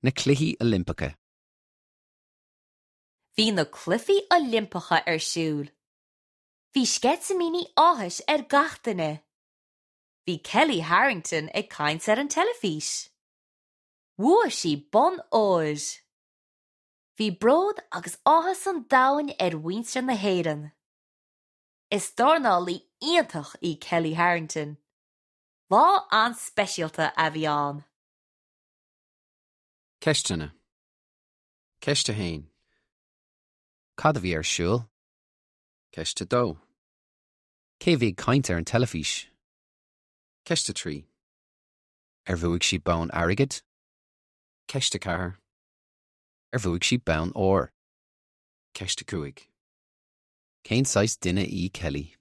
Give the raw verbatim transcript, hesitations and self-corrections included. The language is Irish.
Na Cluichí Oilimpeacha. Bhí na Cluichí Oilimpeacha ar siúl. Bhí sceitimíní áthais ar gach duine. Bhí Kelly Harrington ag caint ar an teilifís. Bhuaigh sí bonn óir. Bhí bród agus áthas an domhain ar mhuintir na hÉireann. Is dornálaí iontach í Kelly Harrington. Lá an-speisialta a bhí ann. Ceisteanna. Ceist a haon. Cad a bhí ar siúl? Ceist a dó. Cé bhí ag caint ar an teilifís? Ceist a trí. Ar bhuaigh sí bonn airgid? Ceist a ceathair. Ar bhuaigh sí bonn óir? Ceist a cúig. Cén saghas duine í Kelly?